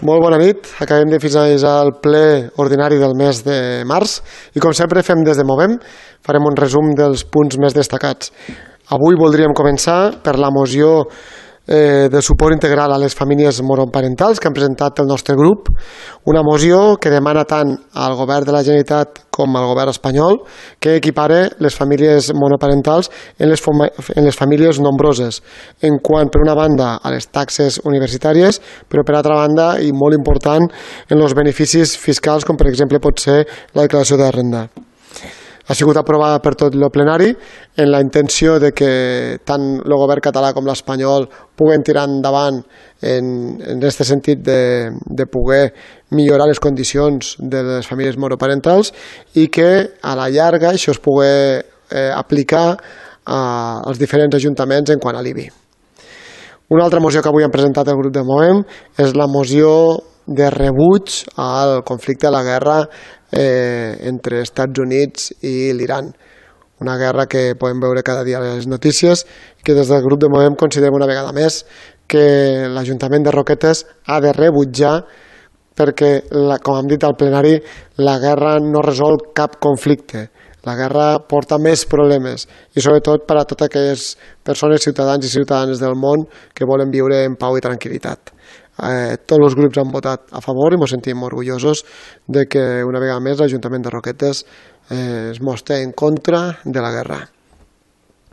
Molt bona nit. Acabem de finalitzar el ple ordinari del mes de març i, com sempre, fem des de Movem. Farem un resum dels punts més destacats. Avui voldríem començar per la moció de suport integral a les famílies monoparentals que han presentat el nostre grup, una moció que demana tant al govern de la Generalitat com al govern espanyol que equipare les famílies monoparentals en les famílies nombroses, en quant, per una banda, a les taxes universitàries, però per altra banda, i molt important, en els beneficis fiscals, com per exemple pot ser la declaració de renda. Ha sigut aprovada per tot el plenari en la intenció de que tant el govern català com l'espanyol puguen tirar endavant en aquest sentit de poder millorar les condicions de les famílies monoparentals i que a la llarga això es pugui aplicar als diferents ajuntaments en quant a l'IBI. Una altra moció que avui han presentat el grup de Movem és la moció de rebuig al conflicte de la guerra entre Estats Units i l'Iran. Una guerra que podem veure cada dia a les notícies i que des del grup de Movem considerem una vegada més que l'Ajuntament de Roquetes ha de rebutjar perquè, com hem dit al plenari, la guerra no resol cap conflicte. La guerra porta més problemes i sobretot per a totes aquelles persones, ciutadans i ciutadanes del món que volen viure en pau i tranquil·litat. Tots els grups han votat a favor i ens sentim orgullosos de que una vegada més l'Ajuntament de Roquetes es mostra en contra de la guerra.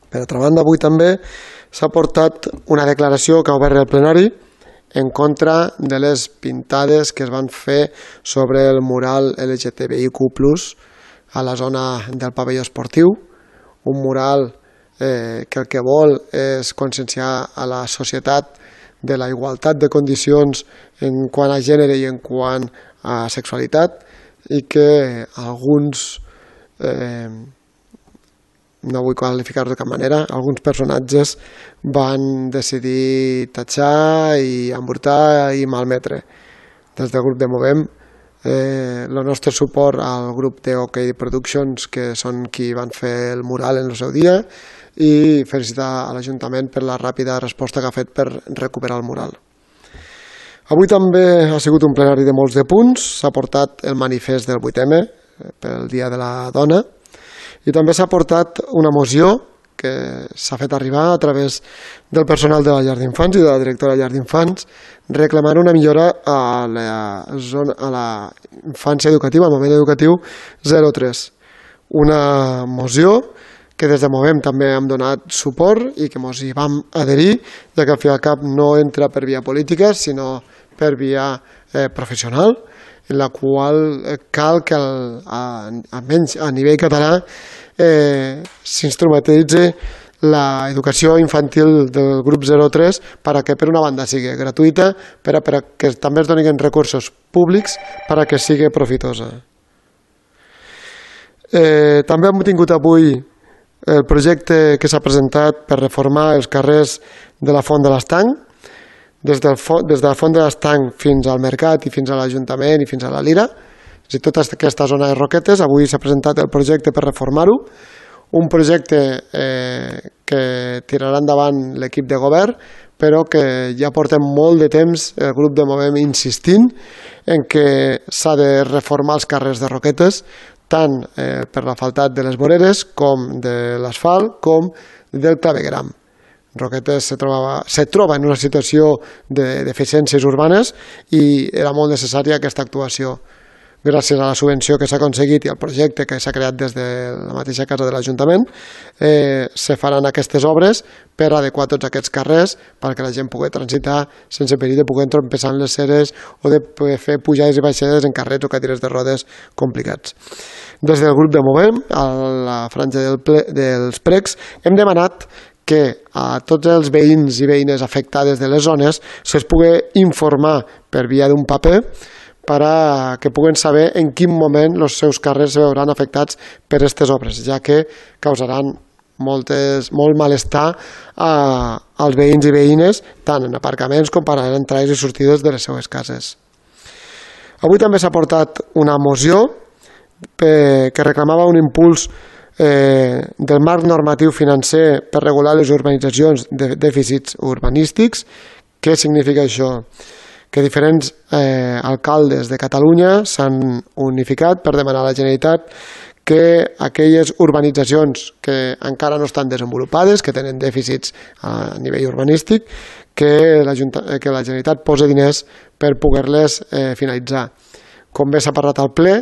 Per altra banda, avui també s'ha portat una declaració que ha obert el plenari en contra de les pintades que es van fer sobre el mural LGTBIQ+ a la zona del pavelló esportiu, un mural que el que vol és conscienciar a la societat de la igualtat de condicions en quant a gènere i en quant a sexualitat i que alguns, no vull qualificar-ho de cap manera, alguns personatges van decidir tatxar i embrutar i malmetre. Des del grup de Movem, el nostre suport al grup de OK Productions, que són qui van fer el mural en el seu dia, i felicitar a l'Ajuntament per la ràpida resposta que ha fet per recuperar el mural. Avui també ha sigut un plenari de molts de punts, s'ha portat el manifest del 8M pel Dia de la Dona i també s'ha portat una moció que s'ha fet arribar a través del personal de la llar d'infants i de la directora de la llar d'infants reclamant una millora a la infància educativa, al moment educatiu 0-3. Una moció que des de Movem també hem donat suport i que ens hi vam adherir, ja que al fi i al cap no entra per via política, sinó per via professional, en la qual cal que, almenys a nivell català, s'instrumentalitzi l'educació infantil del grup 0-3 perquè, per una banda, sigui gratuïta, però que també es donin recursos públics perquè sigui profitosa. També hem tingut avui el projecte que s'ha presentat per reformar els carrers de la Font de l'Estanc, des de la Font de l'Estanc fins al Mercat i fins a l'Ajuntament i fins a la Lira, és a dir, tota aquesta zona de Roquetes. Avui s'ha presentat el projecte per reformar-ho, un projecte que tirarà endavant l'equip de govern, però que ja portem molt de temps el grup de Movem insistint en que s'ha de reformar els carrers de Roquetes, tant per l'asfaltat de les voreres com de l'asfalt com del clavegueram. Roquetes se troba en una situació de deficiències urbanes i era molt necessària aquesta actuació. Gràcies a la subvenció que s'ha aconseguit i al projecte que s'ha creat des de la mateixa casa de l'Ajuntament, se faran aquestes obres per adequar tots aquests carrers perquè la gent pugui transitar sense perill de poder trompessar en les ceres o de poder fer pujades i baixades en carrets o cadires de rodes complicats. Des del grup de Movem, a la franja dels precs, hem demanat que a tots els veïns i veïnes afectades de les zones se'ls pugui informar per via d'un paper perquè puguen saber en quin moment els seus carrers es veuran afectats per aquestes obres, ja que causaran molt malestar als veïns i veïnes, tant en aparcaments com per a entrades i sortides de les seues cases. Avui també s'ha portat una moció que reclamava un impuls del marc normatiu financer per regular les urbanitzacions de dèficits urbanístics. Què significa això? que diferents alcaldes de Catalunya s'han unificat per demanar a la Generalitat que aquelles urbanitzacions que encara no estan desenvolupades, que tenen dèficits a nivell urbanístic, que la Generalitat posi diners per poder-les finalitzar. Com bé s'ha parlat al ple,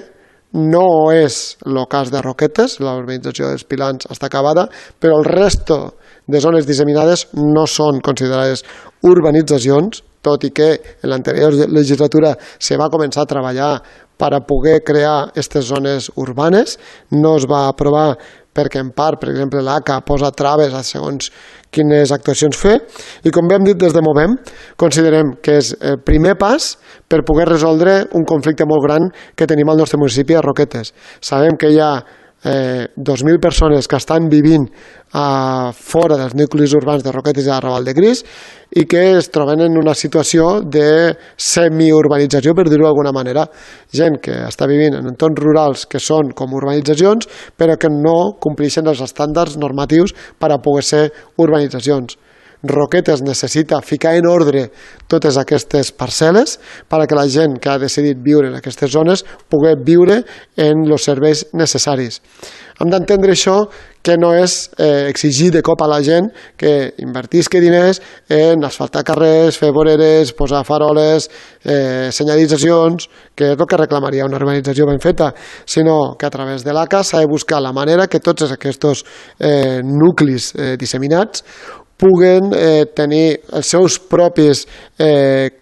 no és el cas de Roquetes, la urbanització dels Pilans està acabada, però el resto de zones disseminades no són considerades urbanitzacions, tot i que en l'anterior legislatura se va començar a treballar per a poder crear aquestes zones urbanes. No es va aprovar perquè en part, per exemple, l'ACA posa traves a segons quines actuacions fer, i com bé hem dit des de Movem, considerem que és el primer pas per poder resoldre un conflicte molt gran que tenim al nostre municipi a Roquetes. Sabem que hi ha 2.000 persones que estan vivint fora dels nuclis urbans de Roquetes i de Raval de Gris i que es troben en una situació de semiurbanització, per dir-ho d'alguna manera. Gent que està vivint en entorns rurals que són com urbanitzacions però que no compleixen els estàndards normatius per a poder ser urbanitzacions. Roquetes necessita ficar en ordre totes aquestes parcel·les perquè la gent que ha decidit viure en aquestes zones pugui viure en els serveis necessaris. Hem d'entendre això que no és exigir de cop a la gent que invertisca diners en asfaltar carrers, fer voreres, posar faroles, senyalitzacions, que és el que reclamaria una urbanització ben feta, sinó que a través de l'ACA s'ha de buscar la manera que tots aquests nuclis disseminats puguen tenir els seus propis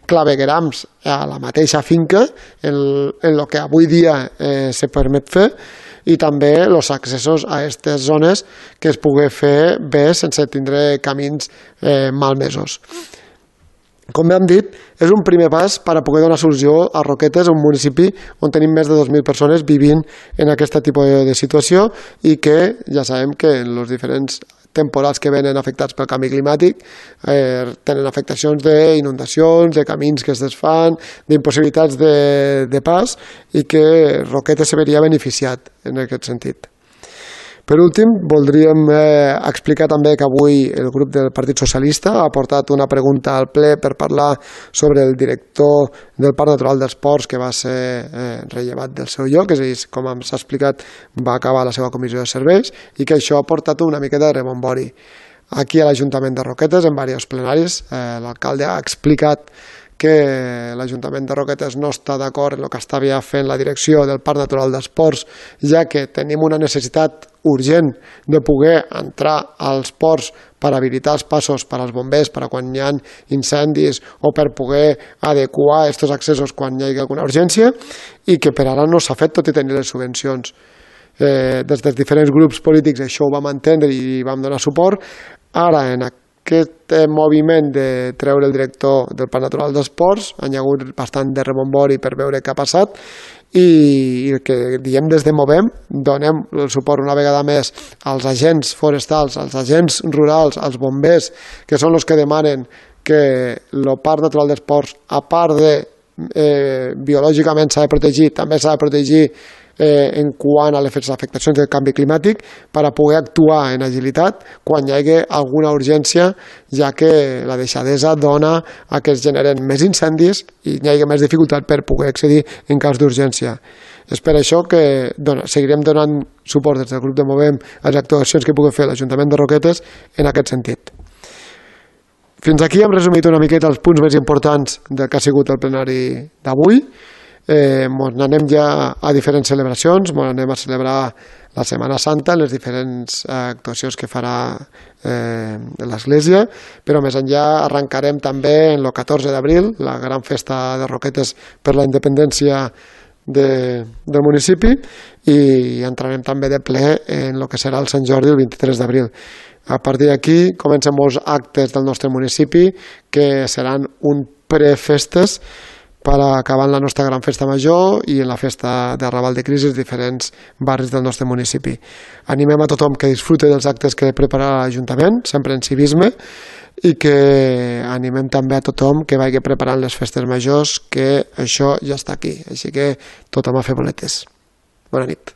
claveguerams a la mateixa finca, en el que avui dia se permet fer, i també els accessos a aquestes zones que es pugui fer bé sense tindre camins malmesos. Com hem dit, és un primer pas per a poder donar solució a Roquetes, un municipi on tenim més de 2.000 persones vivint en aquest tipus de situació i que ja sabem que en els diferents temporals que venen afectats pel canvi climàtic tenen afectacions d'inundacions, de camins que es desfan, d'impossibilitats de pas i que Roquetes se veria beneficiat en aquest sentit. Per últim, voldríem explicar també que avui el grup del Partit Socialista ha portat una pregunta al ple per parlar sobre el director del Parc Natural dels Ports que va ser rellevat del seu lloc, és a dir, com s'ha explicat, va acabar la seva comissió de serveis i que això ha portat una mica de rebombori. Aquí a l'Ajuntament de Roquetes, en diversos plenaris, l'alcalde ha explicat que l'Ajuntament de Roquetes no està d'acord en el que estava fent la direcció del Parc Natural dels Ports, ja que tenim una necessitat urgent de poder entrar als ports per habilitar els passos per als bombers, per a quan hi ha incendis o per poder adequar aquests accessos quan hi hagi alguna urgència, i que per ara no s'ha fet tot i tenir les subvencions. Des dels diferents grups polítics això ho vam entendre i vam donar suport. Ara, en aquest moviment de treure el director del Parc Natural dels Ports, hi ha hagut bastant de rebombori per veure què ha passat i el que diem des de Movem, donem el suport una vegada més als agents forestals, als agents rurals, als bombers, que són els que demanen que el Parc Natural dels Ports, a part de biològicament s'ha de protegir, també s'ha de protegir en quant a les afectacions del canvi climàtic per a poder actuar en agilitat quan hi hagi alguna urgència, ja que la deixadesa dona a que es generen més incendis i hi hagi més dificultat per poder accedir en cas d'urgència. És per això que seguirem donant suport des del grup de Movem a les actuacions que pugui fer l'Ajuntament de Roquetes en aquest sentit. Fins aquí hem resumit una miqueta els punts més importants del que ha sigut el plenari d'avui. Anem ja a diferents celebracions, anem a celebrar la Setmana Santa, les diferents actuacions que farà l'Església, però més enllà arrencarem també el 14 d'abril, la gran festa de Roquetes per la independència del municipi, i entrarem també de ple en el que serà el Sant Jordi el 23 d'abril. A partir d'aquí comencen molts actes del nostre municipi que seran un prefestes per acabar la nostra gran festa major i en la festa de Raval de Gris als diferents barris del nostre municipi. Animem a tothom que disfrute dels actes que prepararà l'Ajuntament, sempre en civisme, i que animem també a tothom que vagi preparant les festes majors, que això ja està aquí. Així que tothom a fer boletes. Bona nit.